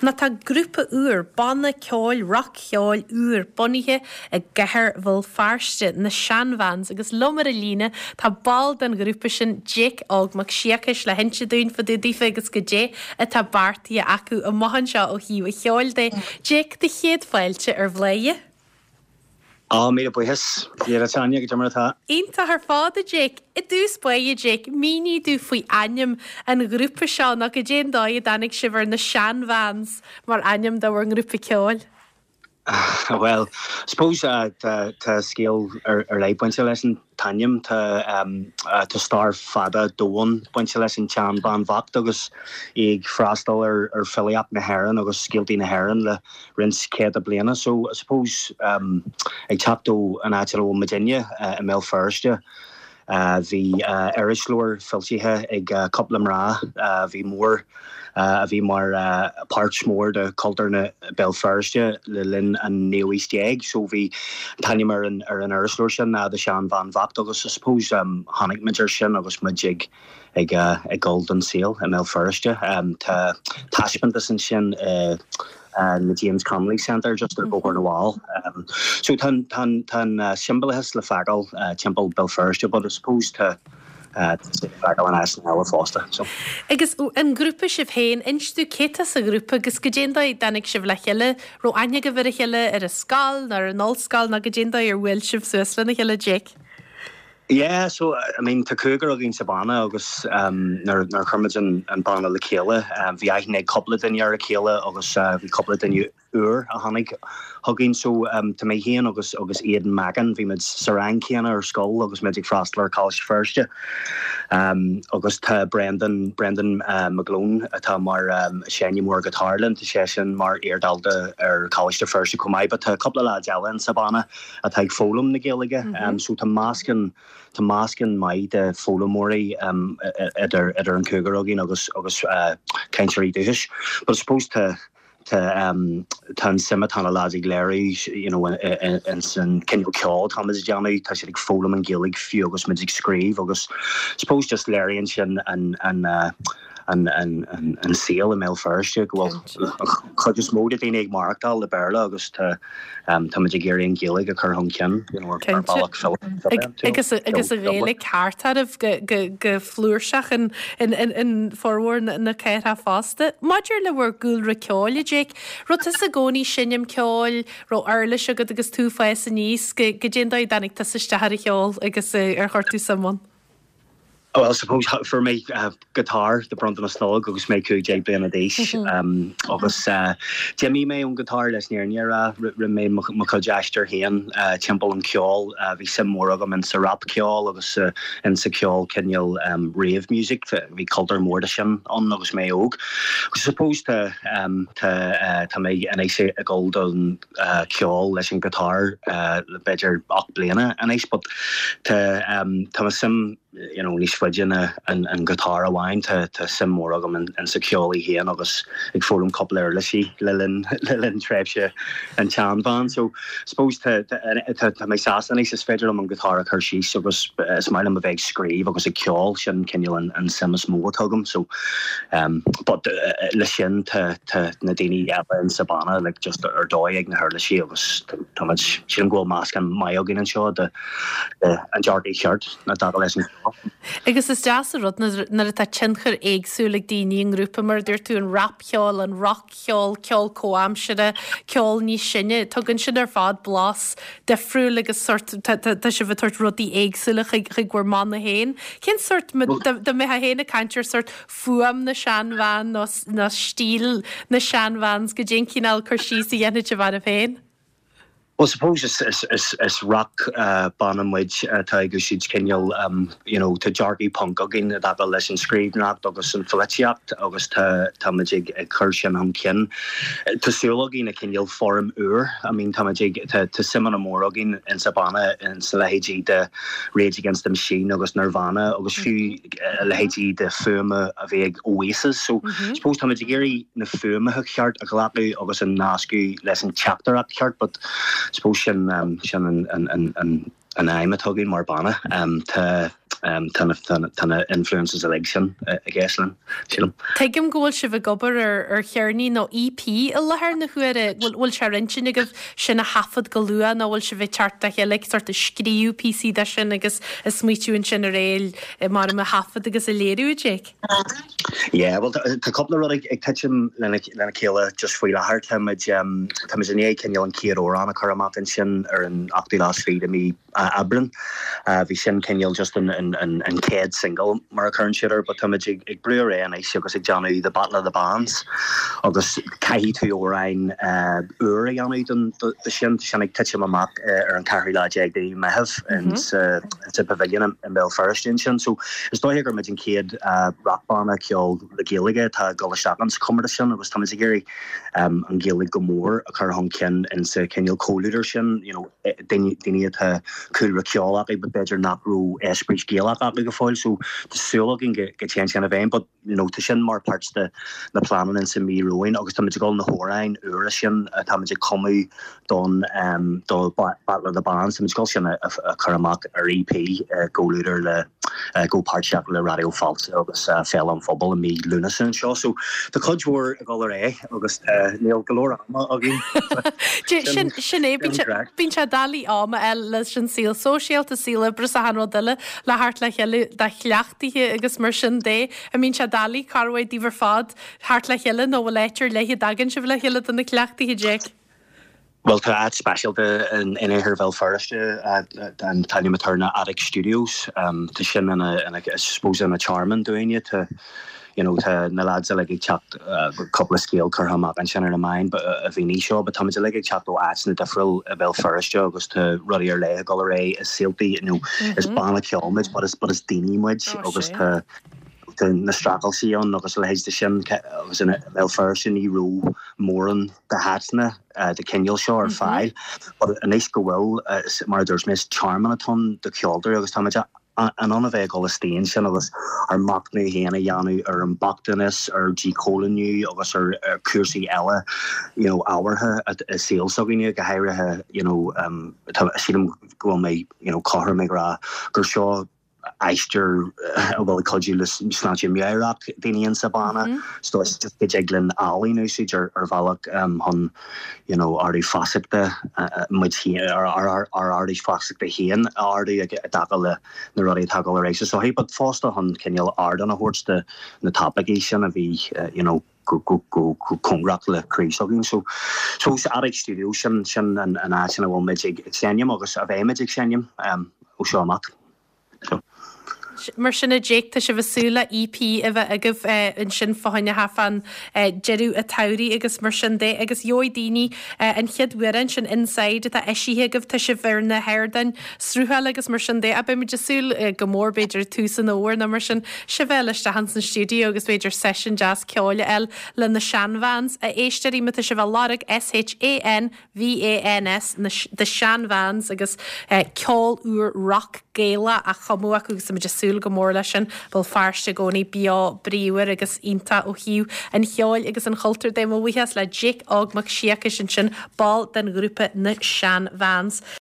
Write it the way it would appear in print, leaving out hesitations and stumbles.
Nó tá grúpa úr, banna ceoil, rac-cheoil úr bunaithe i gcathair Bhéal Feirste, na Shan Vans, agus liom ar an líne tá ball den ghrúpa sin, Jake Óg Mac Siacais, le hinse dúinn fá dtaobh daofa agus goidé atá beartaithe acu amach anseo ó thaobh an cheoil de. Jake, do chéad fáilte ar Bhladhaire. Á, míle buíochas, a Tanya, goidé mar atá. Iontach ar fad, a Jake. I dtús báire, Jake, mínigh domh faoi ainm an ghrúpa seo, nó goidé an dóigh a dtáinig sibh ar na Shan Vans mar ainm do bhur ngrúpa ceoil. Bhuel, suppose tá scéal ar leith bainte leis an t-ainm. Tá stair fada domhain bainte leis an tseanbhean bhocht agus í ag freastal ar filíocht na hÉireann agus scéaltaí na hÉireann le roinnt céadta bliana. So, I suppose, ag teacht ó an áit ina bhfuil muidinne, i mBéal Feirste, bhí irisleabhar foilsithe ag cúpla mná a bhí mór, a bhí mar páirt mór de chultúr na Béal Feirste le linn an naoú aois déag. So bhí an t-ainm ar an ar an irisleabhar sin ná The Shan Bhean Bhocht agus I suppose tháinig muid air sin agus muid ag ag ag dul don saol i mBéal Feirste. Tá taispeántas ansin i na James Connolly Centre just ar Bhóthar na bhFál. So tá an tá an tá an siombalachas le feiceáil timpeall Béal Feirste but I suppose tá tá sé le feiceáil in áiteanna eile fosta. So. Agus an grúpa sibh féin, inis domh cé tá sa ghrúpa agus goidé an dóigh a dtáinig sibh le chéile, raibh aithne agaibh ar a chéile ar an scoil nó ar an ollscoil nó goidé an dóigh ar bhuail sibh suas lena chéile, Jake? Yeah, so, I mean, tá cúigear againn sa bhanna agus nuair a chuir muid an banna le chéile, bhí aithne ag cúpla duine ar a chéile agus bhí cúpla duine úr a tháinig chugainn. So, tá mé féin agus agus Aidan Mackin, bhí muid sa rang céanna ar scoil agus muid ag freastal ar Choláiste Feirste. Agus tá Brendan, Brendan McGlone atá mar seinneoir guitar linn, tá seisean mar iardhalta ar Choláiste Feirste chomh maith, but tá cúpla leaid eile in sa bhanna. atá ag foghlaim na Gaeilge. So tá meascán, tá meascán maith de foghlaimeoirí idir, idir an cúigear againn agus, agus cainteoirí dúchais. But I suppose tá, tá, tá an suim atá na lads ag léiriú, you know, in san cineál ceoil atá muid ag déanamh, tá siad ag foghlaim an Ghaeilge fiú agus muid ag scríobh agus I suppose just léiríonn sin an, an, an saol i mBéal Feirste, go bhfuil an chuid is mó de daoine ag maireachtáil le Béarla agus tá muid ag iarraidh an Ghaeilge a chur chun cinn you know, ar bhealach fileata. Agus agus an Ghaeilge thart oraibh go flúirseach in formhór na cathrach fosta. Maidir le bhur gcúlra ceoil, a Jake, raibh tusa i gcónaí seinm ceoil, raibh uirlis agat agus tú ag fás aníos, goidé an dóigh a dtáinig tusa isteach ar an cheol agus ar chuir tú suim ann? Well, suppose fuair mé guitar de bronntanas Nollag agus mé 15 bliana d'aois agus d'imigh mé ón guitar leis an fhírinne a rá. Rinne mé mo chuid aistir féin timpeall an cheoil. Bhí suim mhór agam in sa rap ceol agus in sa ceol cineál rave music. Bhí cultúr mór de sin ann agus mé óg. Agus suppose tá tá tá mé anois ag dul don ceol leis an guitar le b'fhéidir 8 bliana anois but tá tá mo suim you know níos faide ná an an guitar amháin tá tá suim mór agam in in sa ceol í féin agus ag foghlaim cúpla uirlisí le linn le linn tréimhse an tSeanbhean so suppose tá tá tá tá mé sásta anois is féidir liom an guitar a chur síos agus is maith liom a bheith ag scríobh agus ag ceol sin cineál an an suim is mó atá agam so But le sin tá tá na daoine eile in sa banna like just ar dóigh ag na huirlisí agus tá muid sílim go bhfuil meascán maith againn anseo de an dearcadh cheart i dtaca leis an cheol. Agus is deas an rud nuair atá tionchar éagsúil ag daoine i ngrúpa mar a dúirt tú an rapcheol, an roc-cheol, ceol comhaimseartha, ceol níos sine, tugann sin ar fad blas difriúil agus sórt tá tá sibh ag tabhairt rudaí éagsúla chuig chuig bhur mbanna féin. Cén sórt dá mbeifeá féin ag caint ar sórt fuaim na Shan Van nó nó stíl na Shan Vans, goidé an cineál cur síos a dhéanfadh sibh oraibh féin? Well suppose is is is is rock banna muid atá ag úsáid cineál you know tá dearcadh punk againn i dtaca leis an scríbhneoireacht agus an pholaitíocht agus tá tá muid ag ag cur sin chun cinn. Tá súil againn le cineál foirm úr I mean tá muid ag tá tá suim ana mhór againn in sa banna in sa leithéidí de Rage Against the Machine agus Nirvana agus fiú a leithéidí de fuaim a bhí ag Oasis. So suppose tá muid ag iarraidh na fuaimeacha ceart a ghlacadh agus a nascadh leis an teachtaireacht cheart but suppose sin sin an an an an an aidhm atá againn mar banna. Tá. Tá na tá na influences uilig sin i gceist linn, sílim. Tuigim go bhfuil sibh ag obair ar ar cheirnín nó EP i láthair na huaire. Bhfuil bhfuil sé ar intinn agaibh sin a thaifead go luath nó bhfuil sibh ag teacht le chéile ag sort of scríobh píosaí de sin agus ag smaoitiú ansin ar é mar a thaifead agus a léiriú, a Jake? Yeah, bhuel tá cúpla rud ag titim lena chéile just faoi láthair. Táimid táimid i ndiaidh cineál an chéad amhrán a chur amach ansin ar an ochtú lá is fiche de mí Aibreán. Bhí sin cineál just an chéad single mar a chuireann siad air but táimid ag brú ar aghaidh anois agus ag déanamh The Battle of the Bands agus caithfidh tú amhráin úr a dhéanamh don do sin. Tá sin ag titim amach ar an ceathrú lá déag de mhí Meitheamh in sa Pavilion i mBéal Feirste ansin. So is dóiche gur muid an chéad rockbhanna ceol le Gaeilge atá ag dul isteach insa chomórtas sin agus táimid ag iarraidh an Ghaeilge go mór a chur chun cinn insa chineál comhluadar sin, you know. daoine atá cúlra ceoil acu but b'fhéidir nach raibh eispéireas Gaelach acu go fóill so tá súil againn go dtéann sin i bhfeidhm but you know tá sin mar páirt de na pleananna insa mí romhainn agus táimid ag dul na hamhráin úra sin atáimid ag cumadh don do Battle of the Bands táimid ag dul sin a chur amach ar EP i gcomhluadar le i gcomhpháirtíocht le Raidió Fáilte agus Féile an Phobail i mí Lúnasa anseo. So tá cuid mhór ag dul ar aghaidh agus níl go leor ama againn. Sin sin é, bíonn sé doiligh am a fháil leis an saol sóisialta, saol oibre is achan rud eile le theacht le chéile do chleachtaithe agus mar sin de. An mbíonn sé doiligh corruair daoibh ar fad theacht le chéile nó bhfuil áit ar leith a dtagann sibh le chéile do na cleachtaithe, Jake? Bhuel, tá áit speisialta in iarthar Bhéal Feirste, an t-ainm atá air ná Attic Studios. Tá sin ina, ina, I suppose ina tearmann dúinne. Tá, you know, tá na lads uilig ag teacht, cúpla scéal curtha amach ansin ar na meáin a bhí seo, but táimid uilig ag teacht ó áiteanna difriúil i Béal Feirste agus tá rudaí ar leith ag dul ar aghaidh i saoltaí, you know, is banna ceoil muid but is, but is daoine muid agus tá, tá na streachailtí ann agus a leithéid de sin agus i mBéal Feirste ní raibh mórán de háiteanna de chineál seo ar fáil. But anois go bhfuil, mar a dúirt mé, is tearmann atá ann do cheoltóirí agus táimid in ann a bheith ag dul istigh ansin agus ár machnamh féin a dhéanamh ar an mbochtanas, ar dhíchoilíniú agus ar chúrsaí eile you know ábhartha i saol s'againne, go háirithe you know tá, sílim go bhfuil mé you know cothrom ag rá gur seo aistear a bhfuil ag cuidiú le sláinte meabhrach daoine insa banna. So is just go dtig linn ealaín a úsáid ar ar bhealach chun you know ardú feasachta muid féin ár ár ardú feasachta féin a ardú i dtaca le na rudaí atá ag dul ar aghaidh sa sochaí but fosta chun cineál ardán a thabhairt do na topaicí sin a bhí you know go go go cóngarach le croí s'againn. So so sa Attic Studio sin sin an an áit ina bhfuil muid ag seinm agus a bheidh muid ag seinm ó seo amach. So. Mar sin a Jake, tá sibh ag súil le EP a bheith agaibh ansin fá choinne thart fán deireadh an tsamhraidh agus mar sin de agus gheobhaidh daoine an chéad amhrán sin Inside atá eisithe agaibh, tá sibh ar na hardáin sruthála agus mar sin de ach beidh muid ag súil go mór b'fhéidir ag tús an fhómhair nó mar sin sibh a fháil isteach ins an stiúideo agus b'fhéidir seisiún deas ceoil a fháil le na Shan Vans a éisteoirí má tá sibh á lorg S-H-A-N V-A-N-S na The Shan Vans agus ceol úr rock Gaelach á chumadh acu agus tá muid ag súil go mór leis sin. Béal Feirste i gcónaí beo bríomhar agus iontach ó thaobh an cheoil agus an chultúir de. Mo bhuíochas le Jake Óg Mac Siacais ansin, ball den ghrúpa Na Shan Vans.